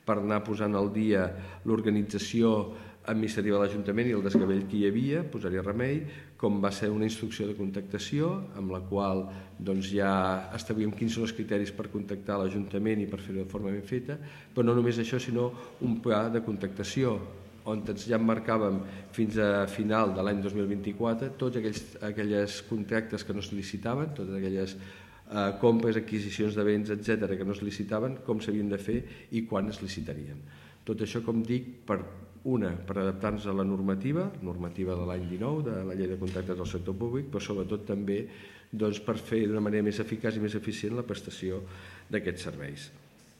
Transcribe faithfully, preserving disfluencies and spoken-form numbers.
per anar posant al dia l'organització administrativa de l'Ajuntament i el desgavell que hi havia, posar-hi remei, com va ser una instrucció de contactació amb la qual ja establíem quins són els criteris per contactar l'Ajuntament i per fer-ho de forma ben feta, però no només això, sinó un pla de contactació on ja emmarcàvem fins a final de l'any dos mil vint-i-quatre tots aquells contractes que no es licitaven, totes aquelles compres, adquisicions de béns, etcètera, que no es licitaven, com s'havien de fer i quan es licitarien. Tot això, com dic, per una, per adaptar-nos a la normativa, normativa de l'any dinou, de la llei de contractes del sector públic, però sobretot també per fer d'una manera més eficaç i més eficient la prestació d'aquests serveis.